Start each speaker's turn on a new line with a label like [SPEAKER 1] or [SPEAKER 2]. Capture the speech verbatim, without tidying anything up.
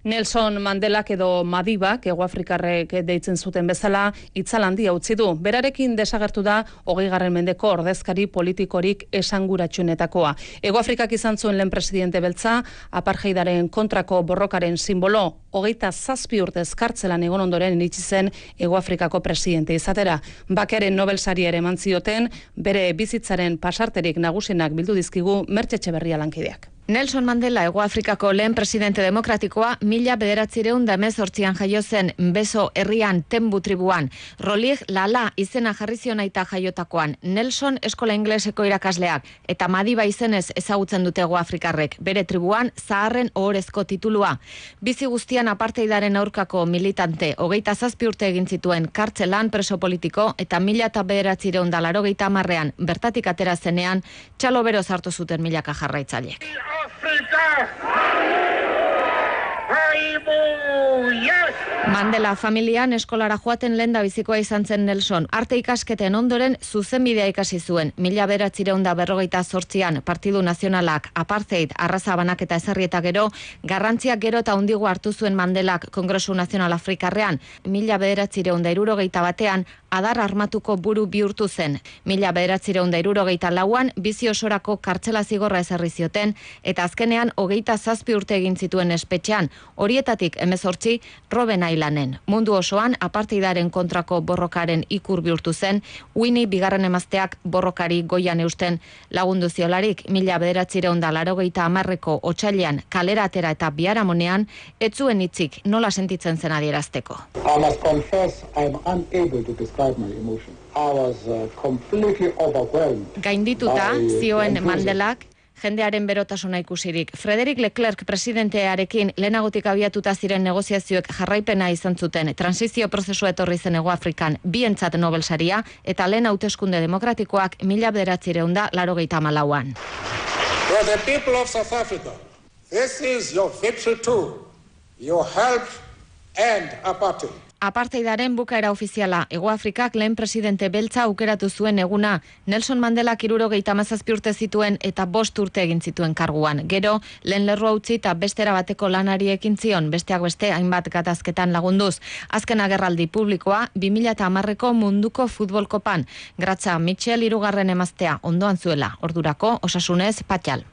[SPEAKER 1] Nelson Mandelak edo Madibak, Hegoafrikarrek deitzen zuten bezala, itzal handia utzi du. Berarekin desagertu da hogeigarren mendeko ordezkari politikorik esanguratsuenetakoa. Hegoafrikak izan zuen lehen presidente beltza, apartheidaren kontrako borrokaren simbolo, hogeita zazpi urtez kartzelan egon ondoren iritsi zen Hegoafrikako presidente izatera. Bakearen Nobel saria ere eman zioten, bere bizitzaren pasarterik nagusienak bildu dizkigu Mertxe Etxeberria lankideak.
[SPEAKER 2] Nelson Mandela, Hegoafrikako lehen presidente demokratikoa, mila bederatzireun da hemezortzian jaio zen Beso herrian Tembu tribuan. Rolig Lala izena jarri zion aita jaiotakoan. Nelson eskola ingleseko irakasleak eta Madiba izenez ezagutzen dute Hegoafrikarrek. Bere tribuan zaharren ohorezko titulua. Bizi guztian apartheidaren aurkako militante, hogeita zazpi urte egin zituen kartzelan preso politiko eta mila eta bederatzireun da laurogeita hamarrean bertatik atera zenean txalo bero sartu zuten milaka jarraitzaileek. Mandela familian eskolara joaten lenda bizikoa izan zen Nelson. Arte ikasketen ondoren zuzenbidea ikasi zuen. Mila bederatzireun da berrogeita zortzian Partidu Nazionalak apartheid arraza banaketa ezarri eta gero, garrantziak gero eta hundigo hartu zuen Mandelak Kongresu Nazional Afrikarrean. Mila bederatzireun da hirurogeita batean adar armatuko buru bihurtu zen. Mila bederatzireun da hirurogeita lauan bizi osorako kartzela zigorra ezarri zioten eta azkenean hogeita zazpi urte egin zituen espetxean, horietatik hemezortzi Robben Islanen. Mundu osoan apartheidaren kontrako borrokaren ikur bihurtu zen, Winnie bigarren emazteak borrokari goian eusten lagundu ziolarik. Mila bederatzireun da laurogeita hamarreko otsailean kalera atera eta biharamonean ez zuen hitzik nola sentitzen zen adierazteko.
[SPEAKER 3] I must confess I am unable to describe my emotion. I was uh, completely overwhelmed.
[SPEAKER 2] Gaindituta zioen Mandelak jendearen berotasuna ikusirik. Frederick Leclerc presidentearekin lehenagotik abiatuta ziren negoziazioek jarraipena izan zuten. Transizio prozesua etorri zen Hegoafrikan bientzat Nobel saria eta lehen hauteskunde demokratikoak mila bederatzireun da laurogeita hamalauan.
[SPEAKER 4] For the people of South Africa, this is your victory too. You helped end apartheid.
[SPEAKER 2] Apartheidaren bukaera ofiziala. Hegoafrikak lehen presidente beltza aukeratu zuen eguna. Nelson Mandelak hirurogeita hamazazpi urte zituen eta bost urte egin zituen karguan. Gero, lehen lerroa utzi eta bestera bateko lanari ekin zion, besteak beste hainbat gatazketan lagunduz. Azken agerraldi publikoa, bi mila hamarreko munduko futbolkopan. Gratza Mitchell hirugarren emaztea ondoan zuela. Ordurako, osasunez, Patxal.